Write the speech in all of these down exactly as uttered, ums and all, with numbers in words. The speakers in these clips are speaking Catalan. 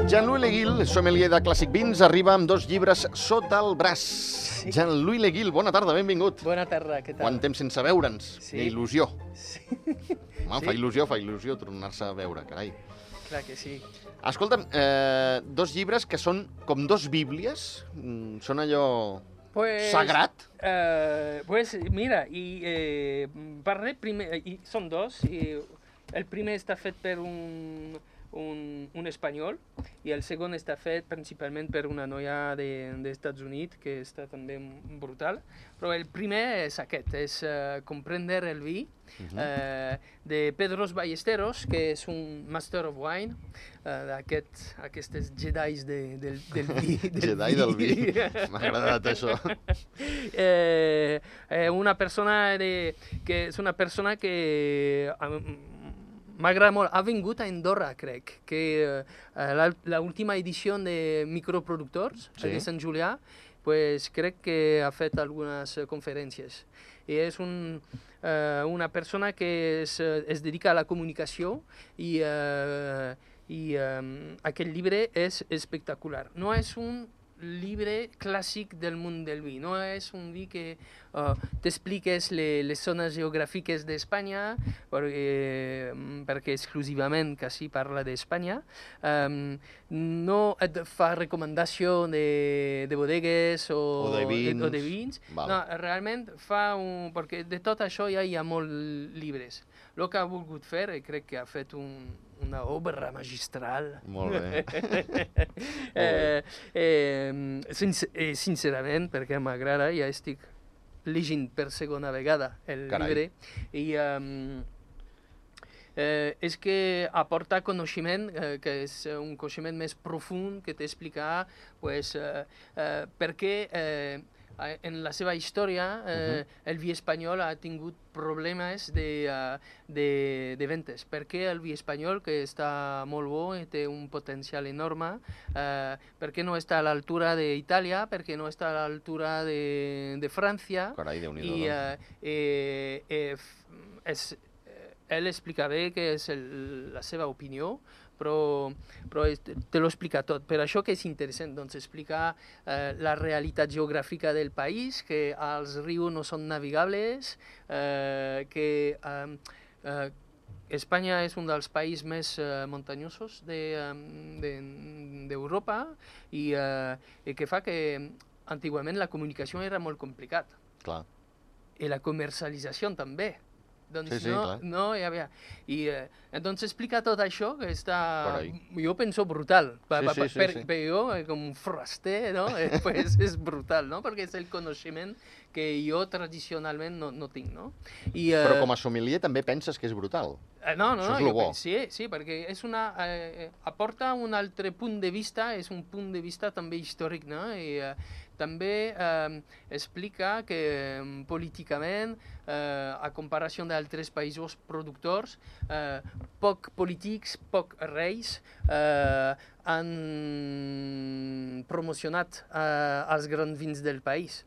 Jean-Louis Le Guil, sommelier de Clàssic Vins, arriba amb dos llibres sota el braç. Sí. Jean-Louis Le Guil, bona tarda, benvingut. Bona tarda, què tal? Quant temps sense veure'ns? Sí. I il·lusió. Sí. Home, Sí? fa il·lusió, fa il·lusió tornar-se a veure, carai. Clar que sí. Escolta'm, eh, dos llibres que són com dos bíblies, mm, són allò Pues, sagrat? eh, pues mira, i eh, parlé primer, i són dos, i el primer està fet per un, un, un espanyol i el segon està fet principalment per una noia de, dels Estats Units que està també brutal, però el primer és aquest, és uh, Comprender el vi, uh-huh. eh, de Pedros Ballesteros, que és un Master of Wine, uh, d'aquests aquestes jedis de, del, del vi. Del Jedi del vi, m'ha agradat això. Eh, eh, una persona de, que és una persona que um, m'agrada molt, ha vingut a Andorra, crec, que uh, l'última edició de Microproductors, sí. de Sant Julià, pues, crec que ha fet algunes conferències. I és un, uh, una persona que es, es dedica a la comunicació i, uh, i um, aquest llibre és espectacular. No és un llibre clàssic del món del vi. No és un vi que uh, t'expliques les, les zones geogràfiques d'Espanya, perquè, perquè exclusivament quasi parla d'Espanya. Um, no et fa recomanació de, de bodegues o, o de vins. O de vins. No, realment fa un... Perquè de tot això ja hi ha molts llibres. El que ha volgut fer, i crec que ha fet un, una obra magistral. Molt bé. eh, eh, sincer, eh, sincerament, perquè m'agrada, ja estic llegint per segona vegada el Carai. llibre, i um, eh, és que aporta coneixement, eh, que és un coneixement més profund, que t'explica pues, eh, eh, per què eh, en la seva història eh, uh-huh. el vi espanyol ha tingut problemes de, uh, de, de ventes. Perquè el vi espanyol, que està molt bo i té un potencial enorme, uh, perquè no està a l'altura d'Itàlia, perquè no està a l'altura de, de França. Carai, Déu-n'hi-do. I uh, eh, eh, és, ell explica bé que és el, la seva opinió, però, però te lo explica tot. Per això que és interessant, doncs explica eh, la realitat geogràfica del país, que els rius no són navigables, eh, que eh, eh, Espanya és un dels països més eh, muntanyosos d'Europa de, de, i, eh, i que fa que antigament la comunicació era molt complicada. Clar. I la comercialització també. Doncs sí, sí, no, clar. no hi havia... I eh, doncs explica tot això, que està, Carai. jo penso brutal. Sí, pa, pa, sí, sí, per, sí. per jo, eh, com un foraster, no? eh, pues és brutal, no? Perquè és el coneixement que jo tradicionalment no, no tinc, no? I, eh, Però com a sommelier també penses que és brutal. Eh, no, no, Això no, és lo jo, bo. penso- sí, sí, perquè és una, eh, aporta un altre punt de vista, és un punt de vista també històric, no? I eh, també eh, explica que eh, políticament, eh, a comparació d'altres països productors, eh, poc polítics, poc reis, eh, han promocionat eh, els grans vins del país.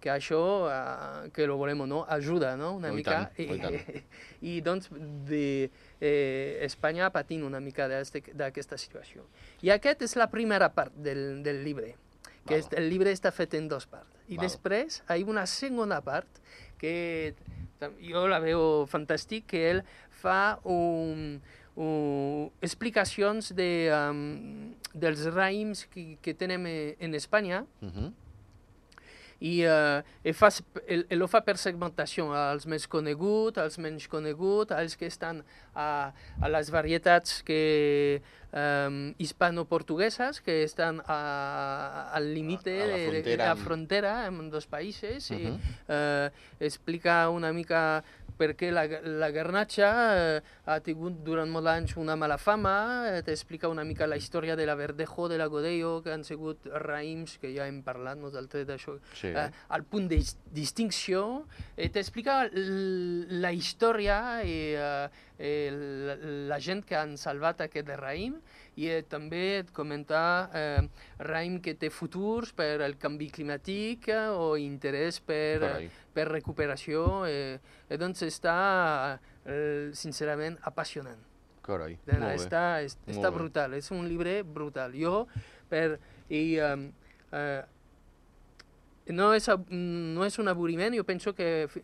Que això, eh, que lo volem o no, ajuda, no? Una Oh, i mica. tant, oh, i tant. I, i doncs de, eh, Espanya patint una mica d'aquesta situació. I aquesta és la primera part del, del llibre, que Val. és, el llibre està fet en dues parts. I Val. després hi ha una segona part que jo la veu fantàstic, que ell fa un, un, explicacions de, um, dels raïms que, que tenim en Espanya, Uh-huh. i eh, el, fa, el, el fa per segmentació, als més coneguts, als menys coneguts, als que estan a, a les varietats que, um, hispano-portugueses, que estan a, al límit de, A la de, frontera de la amb- frontera amb dos països, Uh-huh. i eh, explica una mica perquè la, la garnatxa eh, ha tingut durant molts anys una mala fama, eh, t'explica una mica la història de la Verdejo, de la Godello, que han sigut raïms, que ja hem parlat nosaltres d'això, Sí. eh, al punt de distinció, eh, t'explica la història i eh, eh, la, la gent que han salvat aquest raïm, i eh, també et comenta eh, raïm que té futurs per el canvi climàtic eh, o interès per, Carai. per recuperació. Eh, eh, doncs està, eh, sincerament, apassionant. Carai, Eh, molt bé. Està, és, Molt està bé. brutal, és un llibre brutal. Jo, per... I, eh, eh, no, és, ab- no és un avorriment, jo penso que fi-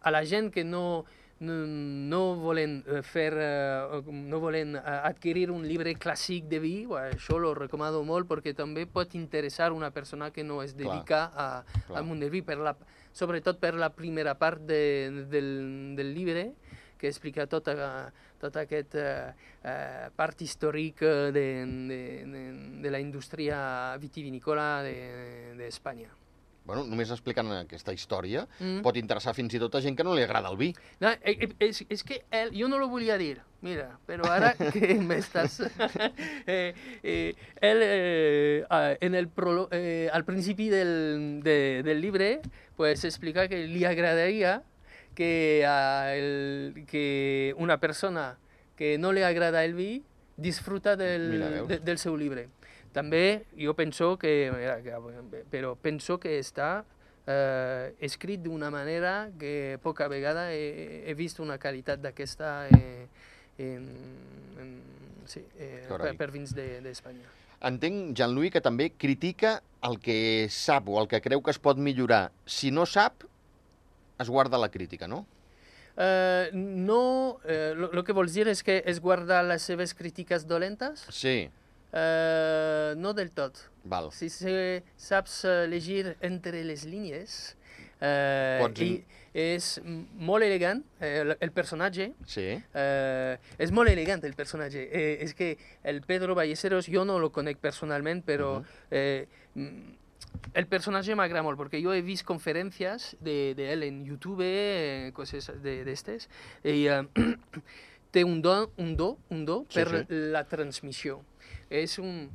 a la gent que no, no, no volen eh, fer, eh, no volen eh, adquirir un llibre clàssic de vi, bueno, això lo recomano molt perquè també pot interessar una persona que no es dedica a, clar. al món del vi, per la, sobretot per la primera part de, del, del llibre, que explica tota, tota aquesta eh, part històrica de, de, de, de la indústria vitivinícola d'Espanya. De, Bueno, només explicant aquesta història Mm. pot interessar fins i tot a gent que no li agrada el vi. No, eh, eh, és, és que él, jo no lo volia dir, mira, però ara que m'estàs... eh, eh, él, eh, ah, en el prolo eh, al principi del, de, del llibre, pues explica que li agradaria que, uh, el, que una persona que no li agrada el vi disfruta del, Mira, veus? de, del seu llibre. També jo penso que, mira, que però penso que està eh, escrit d'una manera que poca vegada he, he vist una qualitat d'aquesta eh, en, en, sí, eh, per, Carai. per vins d'Espanya. De, Entenc, Jean-Louis, que també critica el que sap o el que creu que es pot millorar. Si no sap, es guarda la crítica, no? Eh, no, eh, lo, lo que vols dir és que es guarda les seves crítiques dolentes? Sí, Eh, no del tot. val. Si se, saps eh, llegir entre les línies, eh, Pots i in- és molt elegant, eh, el, el personatge, Sí, eh, és molt elegant el personatge. Eh, és que el Pedro Ballesteros, jo no lo conec personalment, però Mhm. eh, mm, el personatge m'agrada molt, perquè jo he vist conferències de, de ell en YouTube, eh, coses d'estes, i eh, té un do, un do, un do Sí, per sí. la transmissió. És un,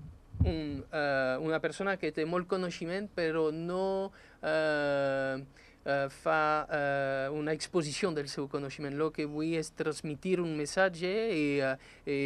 un, uh, una persona que té molt coneixement, però no uh, uh, fa uh, una exposició del seu coneixement. El que vull és transmitir un missatge i, uh, i,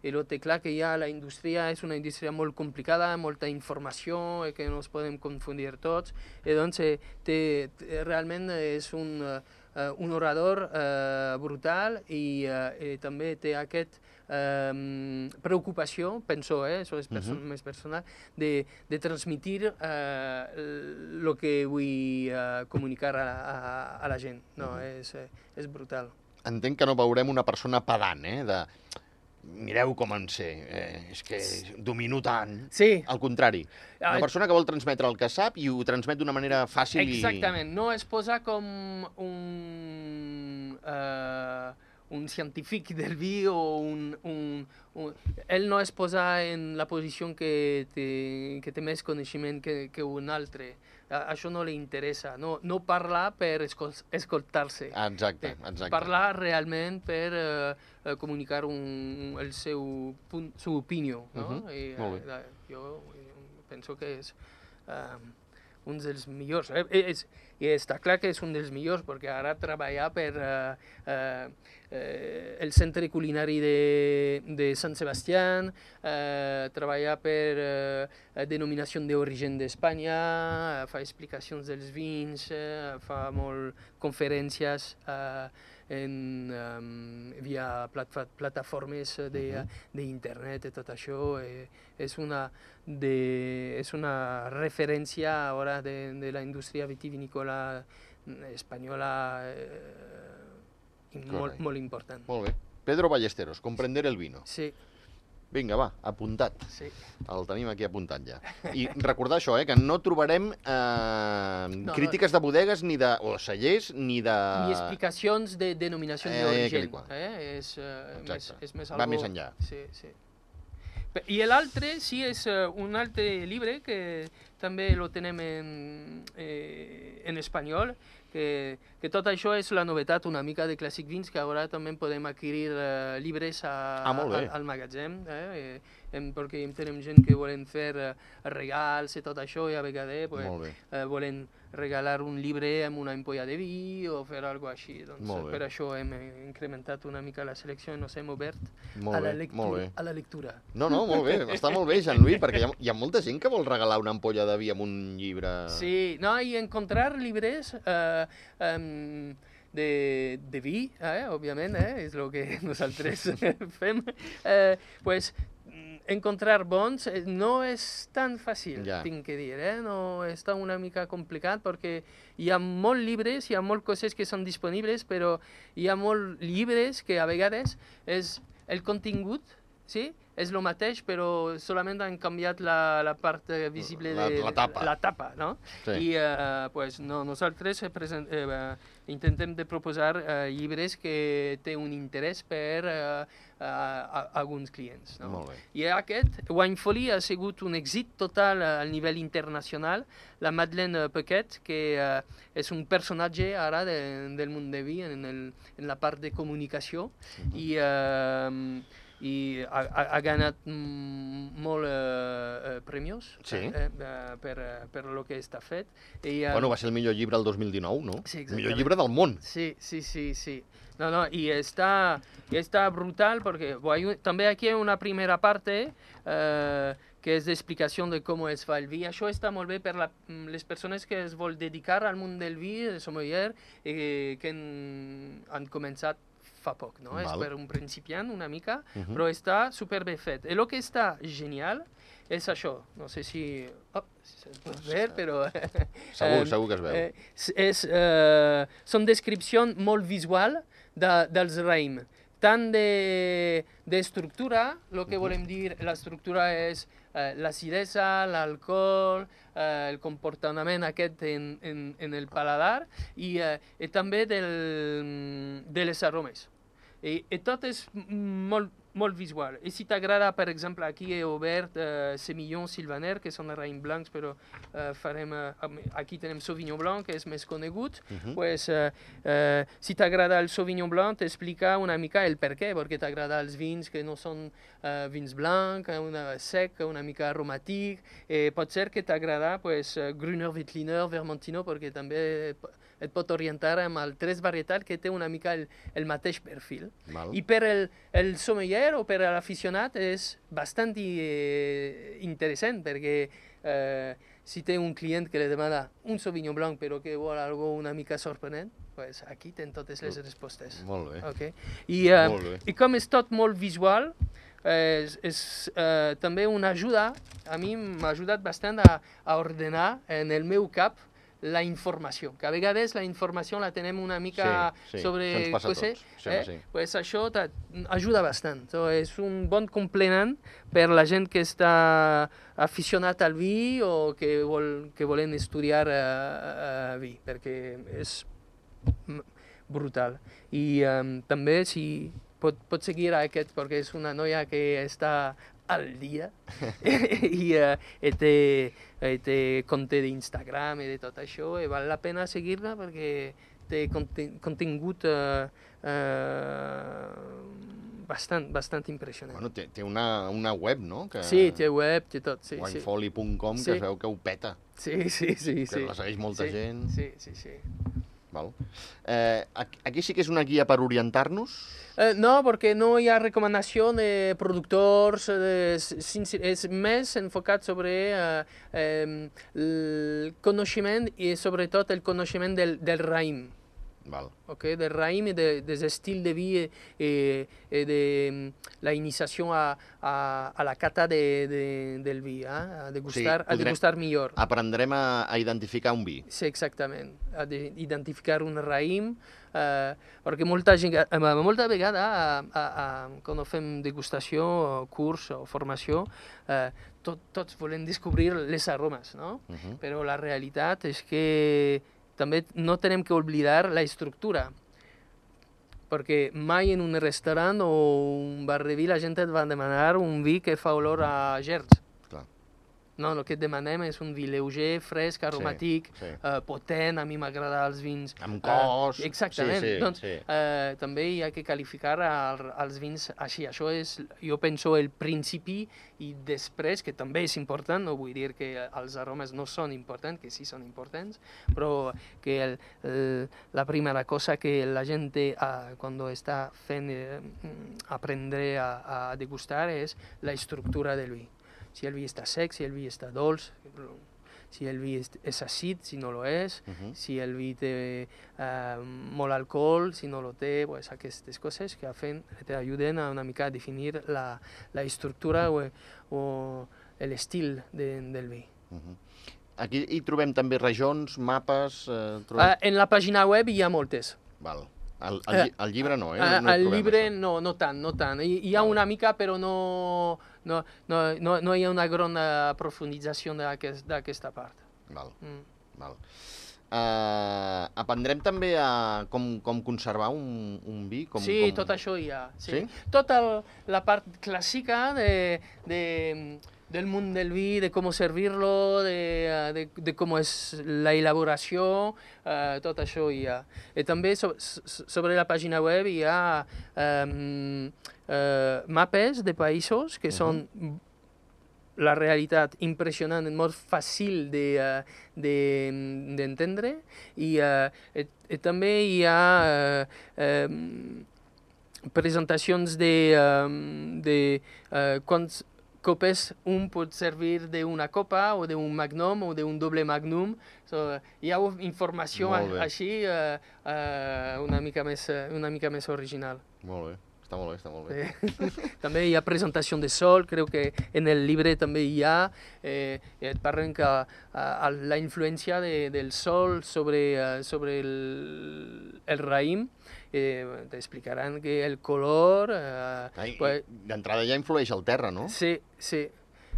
i el té clar que ja la indústria és una indústria molt complicada, molta informació, i que no es podem confundir tots. I doncs eh, té, té, realment és un, uh, un orador uh, brutal i, uh, i també té aquest Um, preocupació, penso, eh, això és perso Mhm. més personal, de, de transmitir el uh, que vull uh, comunicar a, a, a la gent. No, Mhm. és, eh, és brutal. entenc que no veurem una persona pedant, eh? De, mireu com en sé, eh? És que domino tant. Sí, Al contrari, una Ah, persona que vol transmetre el que sap i ho transmet d'una manera fàcil exactament. No es posa com un... Uh, un científic del vi o un, un, un... Ell no es posa en la posició que té, que té més coneixement que, que un altre. A, això no li interessa. No, no parlar per escol escoltar-se. i... Ah, exacte, Eh, exacte. Parlar realment per uh, comunicar un, el seu punt, su opinió. No? Mhm, I, molt bé. uh, jo penso que és uh, un dels millors. Eh, és, I està clar que és un dels millors, perquè ara treballar per uh, uh, uh, el centre culinari de, de Sant Sebastià, uh, treballar per uh, denominació d'origen d'Espanya, uh, fa explicacions dels vins, uh, fa molt conferències uh, en, um, via plat plataformes d'internet i tot això. Eh, és, una de, és una referència ara de, de la indústria vitivinícola espanyola eh, i molt, Correcte. molt important. Molt bé. Pedro Ballesteros, Comprender el vino. Sí, Vinga, va, apuntat. sí. El tenim aquí apuntat ja. I recordar això, eh, que no trobarem eh, no. crítiques de bodegues ni de... o cellers ni de... Ni explicacions de denominació Eh, d'origen. que li Eh? És, eh, més, Exacte. és més Va algo... més enllà. Sí, sí. Pe- I l'altre sí és uh, un altre llibre que també lo tenem en, eh, en espanyol, que, que tot això és la novetat una mica de Classic Vins, que ara també podem adquirir uh, llibres a, ah, molt bé. al, al magatzem, eh? Hem, perquè tenim gent que volen fer uh, regals i tot això, i a vegades pues, uh, volen regalar un llibre amb una ampolla de vi o fer alguna cosa així. Doncs, per això hem incrementat una mica la selecció i ens hem obert molt a, la bé, lectura, a la lectura. No, no, molt bé, està molt bé, Jean-Louis, perquè hi ha, hi ha molta gent que vol regalar una ampolla de vi amb un llibre... Sí, no, i encontrar llibres eh, um, de, de vi, eh, òbviament, eh, és el que nosaltres fem, eh, pues, encontrar bons no és tan fàcil, ja. tinc que dir, eh? No està una mica complicat perquè hi ha molts llibres, hi ha moltes coses que són disponibles, però hi ha molts llibres que a vegades és el contingut, sí? És el mateix, però solament han canviat la, la part visible la, de la tapa, la tapa, no? Sí. I uh, pues, no, nosaltres present, eh, intentem de proposar uh, llibres que té un interès per uh, uh, a, alguns clients. No? Molt bé. I aquest, Wine Folly, ha sigut un èxit total a nivell internacional. La Madeleine Paquet, que uh, és un personatge ara de, del món de vi en, el, en la part de comunicació, uh-huh. i... Uh, i ha, ha, ha ganat molt eh, premis sí. eh, per, per lo que està fet. I, eh, bueno, va ser el millor llibre el dos mil dinou, no? Sí, el millor llibre del món. Sí, sí, sí, sí. No, no, i està, i està brutal perquè bueno, també aquí hi ha una primera parte eh, que és d'explicació de com es fa el vi. Això està molt bé per la, les persones que es vol dedicar al món del vi, del sommelier, eh, que han, han començat fa poc, no? Val. És per un principiant una mica, uh-huh. però està superbé fet. I el que està genial és això. No sé si... Oh, si es pot veure, però... Segur, eh, segur que es veu. Eh, és, eh, són descripcions molt visuals de, dels raïms. Tant d'estructura, de, el que uh-huh. volem dir, l'estructura és eh, l'acidesa, l'alcohol, eh, el comportament aquest en, en, en el paladar i, eh, i també del, de les aromes. I, i tot és molt, molt visual. I si t'agrada, per exemple, aquí he obert eh, Semillon Sylvaner, que són raïms blancs, però eh, farem, eh, aquí tenim Sauvignon Blanc, que és més conegut. Uh-huh. Pues, eh, eh, si t'agrada el Sauvignon Blanc, t'explica una mica el per què, perquè t'agrada els vins que no són eh, vins blancs, una sec, una mica aromàtic. Eh, pot ser que t'agrada pues, Grüner Veltliner, Vermentino, perquè també et pot orientar amb altres varietats que té una mica el, el mateix perfil. Val. I per el, el sommelier o per l'aficionat és bastant eh, interessant perquè eh, si té un client que li demana un Sauvignon Blanc però que vol algo una mica sorprenent, pues aquí tenen totes les respostes. Molt bé. Okay? I, uh, molt bé. I com és tot molt visual, eh, és, és eh, també una ajuda, a mi m'ha ajudat bastant a, a ordenar en el meu cap la informació, que a vegades la informació la tenem una mica sí, sí, sobre coses, eh? sí. Pues això ajuda bastant. So, és un bon complement per la gent que està aficionat al vi o que, vol, que volen estudiar uh, uh, vi, perquè és brutal. I um, també si pot, pot seguir aquest, perquè és una noia que està al dia i, uh, i té, i té compte d'Instagram i de tot això i val la pena seguir-la perquè té contingut uh, uh, bastant, bastant impressionant. Bueno, té, té una, una web, no? Que... Sí, té web, té tot. Sí, winefolly punt com, sí. Que es veu que ho peta. Sí, sí, sí. Que sí. la segueix molta sí, gent. Sí, sí, sí. Val. Eh, aquí sí que és una guia per orientar-nos? Eh, no, perquè no hi ha recomanació de productors, de, és més enfocat sobre eh, eh, el coneixement i sobretot el coneixement del, del raïm. Val. Okay, del raïm i de, dels estils de vi i, i de la iniciació a, a, a la cata de, de, del vi, eh? a, degustar, sí, a degustar millor. Aprendrem a, a identificar un vi. Sí, exactament, a de, identificar un raïm, eh, perquè molta gent, molta vegada, a, a, a, quan fem degustació, o curs o formació, eh, tot, tots volem descobrir les aromes, no? Uh-huh. Però la realitat és que també no tenem que oblidar la estructura, perquè mai en un restaurant o un bar de vi la gent et va demanar un vi que fa olor a gerds. Clar. No, el que et demanem és un vi lleuger, fresc, aromàtic, sí, sí. Eh, potent. A mi m'agrada els vins... Amb cos... Eh, exactament. Sí, sí, doncs sí. Eh, també hi ha que qualificar el, els vins així. Això és, jo penso, el principi, i després, que també és important, no vull dir que els aromes no són importants, que sí són importants, però que el, el, la primera cosa que la gent té eh, quan està fent eh, aprendre a, a degustar és la estructura del vi. Si el vi està sec, si el vi està dolç, si el vi és, és àcid, si no lo és, uh -huh. si el vi té eh, molt alcohol, si no lo té, pues aquestes coses que t'ajuden a una mica a definir la, la estructura o, o l'estil de, del vi. Uh -huh. Aquí hi trobem també regions, mapes... Eh, trobem... uh, en la pàgina web hi ha moltes. Val. El, el, el llibre no, eh? Uh, no el llibre no, no tant, no tant. Hi, hi ha Val. una mica, però no, no, no, no, no hi ha una gran aprofundització d'aquesta part. Val, Mm. val. Uh, aprendrem també a com, com conservar un, un vi? Com, Sí, com... tot això hi ha. Sí. Sí? Tota el, la part clàssica de, de, del món del vi, de com servir-lo, de, de, de com és la elaboració, uh, tot això hi ha. I també so, sobre la pàgina web hi ha um, uh, mapes de països que uh-huh. són la realitat impressionant, molt fàcil d'entendre, de, de, i, uh, i, i també hi ha uh, um, presentacions de, um, de uh, quants copes un pot servir d'una copa o d'un magnum o d'un doble magnum. So, hi ha informació així uh, uh, una mica més, una mica més original. Molt bé. Està molt bé, està molt bé. Sí. També hi ha presentació de sol, crec que en el llibre també hi ha, eh, et parlen que uh, la influència de, del sol sobre, uh, sobre el, el raïm, eh, t'explicaran que el color... Uh, Ai, pues, d'entrada ja influeix el terra, no? Sí, sí.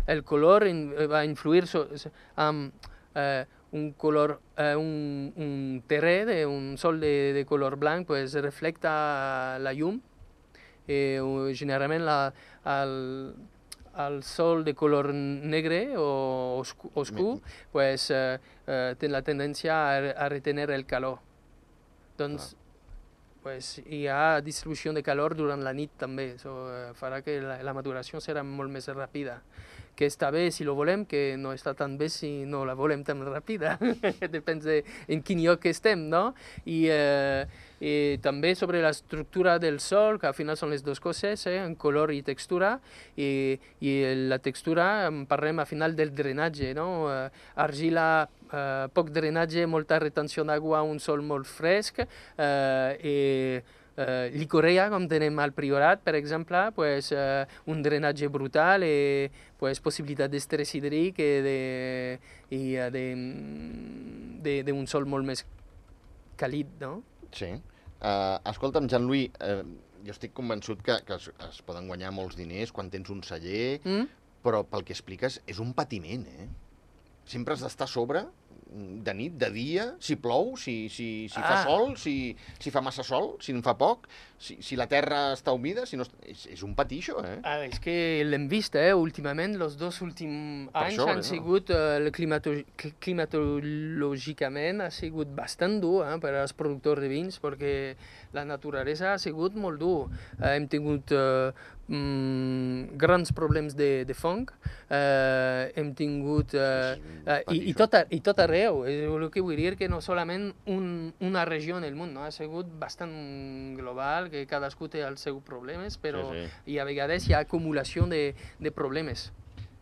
El color in, va influir so, so, amb uh, un color, uh, un, un terrè, un sol de, de color blanc, pues reflecta la llum. Eh, generalment la, el, el sol de color negre o oscur, oscur pues, eh, eh, té la tendència a, a retenir el calor. Doncs pues, hi ha distribució de calor durant la nit també, això eh, farà que la, la maduració serà molt més ràpida. Que està bé si lo volem, que no està tan bé si no la volem tan ràpida. Depèn de en quin lloc estem, no? I, eh, i també sobre l'estructura del sol, que al final són les dues coses, eh, en color i textura, i, i la textura, en parlem al final del drenatge, no? Eh, argila, eh, poc drenatge, molta retenció d'aigua, un sol molt fresc, eh, i Uh, Licorea, com tenem al Priorat, per exemple, pues, uh, un drenatge brutal i pues, possibilitat d'estrès hídric i d'un sol molt més càlid, no? Sí. Uh, escolta'm, Jean-Louis, uh, jo estic convençut que, que es, es poden guanyar molts diners quan tens un celler, mm? però pel que expliques és un patiment, eh? Sempre has d'estar a sobre, de nit, de dia, si plou, si, si, si fa ah. sol, si, si fa massa sol, si en fa poc, si, si la terra està humida, si no... És, és un patí, això, eh? Ah, és que l'hem vist, eh, últimament, els dos últims anys això, han no? sigut, eh, climatològicament ha sigut bastant dur eh, per als productors de vins, perquè la naturalesa ha sigut molt dur. Eh, hem tingut eh, mm, grans problemes de, de fong, eh, hem tingut... Eh, eh, i, i, tot, i tot arreu, és el que vull dir que no solament un, una regió en el món, no? Ha sigut bastant global, que cadascú té els seus problemes, però sí, sí. I a vegades hi ha acumulació de, de problemes.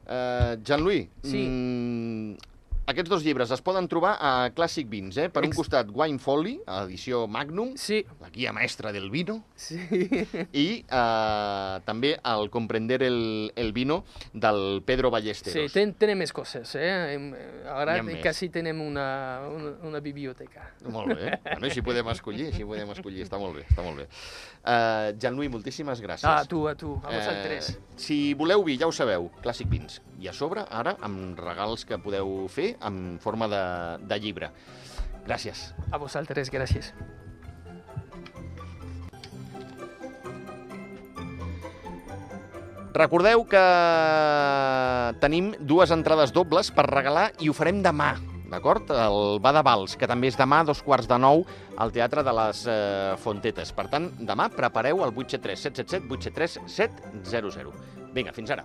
Uh, Jean-Louis, sí. mm, aquests dos llibres es poden trobar a Clàssic Vins, eh? Per un costat Wine Folly, edició Magnum, sí. la guia mestra del vino, sí. i uh, també el Comprender el, el vino del Pedro Ballesteros. Sí, ten, tenem més coses, eh? Ara quasi tenem una, una, una biblioteca. Molt bé, bueno, així podem escollir, així podem escollir, està molt bé, està molt bé. Uh, Jean-Louis, moltíssimes gràcies. Ah, a tu, a tu, a vosaltres. Uh, si voleu vi, ja ho sabeu, Clàssic Vins. I a sobre, ara, amb regals que podeu fer en forma de, de llibre. Gràcies. A vosaltres, gràcies. Recordeu que tenim dues entrades dobles per regalar i ho farem demà, d'acord? El Va de Vals, que també és demà a dos quarts de nou al Teatre de les eh, Fontetes. Per tant, demà prepareu el vuit set tres set set set vuit set tres set zero zero. Vinga, fins ara.